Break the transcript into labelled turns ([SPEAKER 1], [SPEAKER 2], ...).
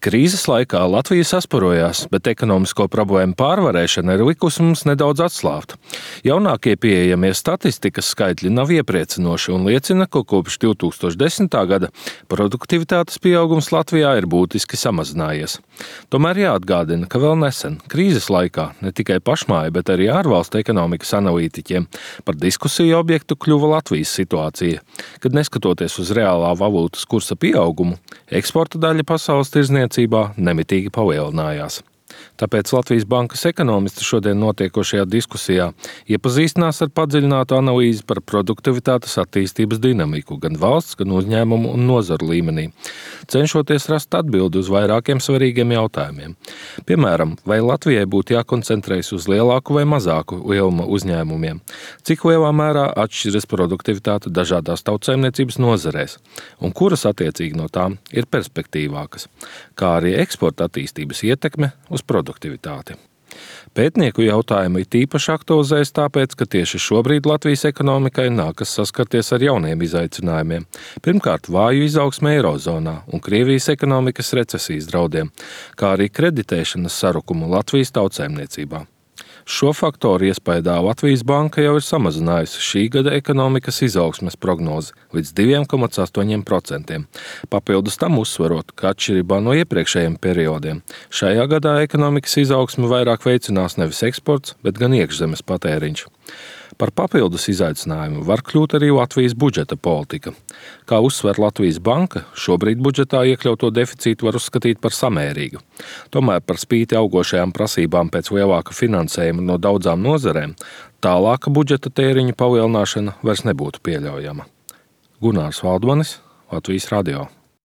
[SPEAKER 1] Krīzes laikā Latvija sasparojās, bet ekonomisko problēmu pārvarēšana ir likusi mums nedaudz atslābt. Jaunākie pieejamie statistikas skaitļi nav iepriecinoši un liecina, ka kopš 2010. gada produktivitātes pieaugums Latvijā ir būtiski samazinājies. Tomēr jāatgādina, ka vēl nesen, krīzes laikā, ne tikai pašmāju, bet arī ārvalstu ekonomikas analītiķiem par diskusiju objektu kļuva Latvijas situācija, kad neskatoties uz reālā valūtas kursa pieaugumu, eksporta daļa pasaules tirdzniecībā nemitīgi palielinājās. Tāpēc Latvijas bankas ekonomisti šodien notiekošajā diskusijā iepazīstinās ar padziļinātu analīzi par produktivitātes attīstības dinamiku gan valsts, gan uzņēmumu un nozaru līmenī, cenšoties rast atbildi uz vairākiem svarīgiem jautājumiem. Piemēram, vai Latvijai būtu jākoncentrējas uz lielāku vai mazāku lielumu uzņēmumiem, cik lielā mērā atšķiras produktivitāte dažādās tautsaimniecības nozarēs un kuras attiecīgi no tām ir perspektīvākas, kā arī eksporta attīstības ietekme uz produktivitāti. Pētnieku jautājumu it īpaši aktualizējas tāpēc, ka tieši šobrīd Latvijas ekonomikai nākas saskarties ar jauniem izaicinājumiem. Pirmkārt, vāju izaugsme Eirozonā un Krievijas ekonomikas recesijas draudiem, kā arī kreditēšanas sarukumu Latvijas tautsaimniecībā. Šo faktoru iespaidā Latvijas banka jau ir samazinājusi šī gada ekonomikas izaugsmes prognozi līdz 2,8%. Papildus tam uzsverot, ka atšķirībā no iepriekšējiem periodiem, šajā gadā ekonomikas izaugsmi vairāk veicinās nevis eksports, bet gan iekšzemes patēriņš. Par papildus izaicinājumu var kļūt arī Latvijas budžeta politika. Kā uzsver Latvijas banka, šobrīd budžetā iekļauto deficītu var uzskatīt par samērīgu. Tomēr par spīti augošajām prasībām pēc lielāka finansējuma no daudzām nozarēm, tālāka budžeta tēriņu palielināšana vairs nebūtu pieļaujama. Gunārs Valdmanis, Latvijas radio.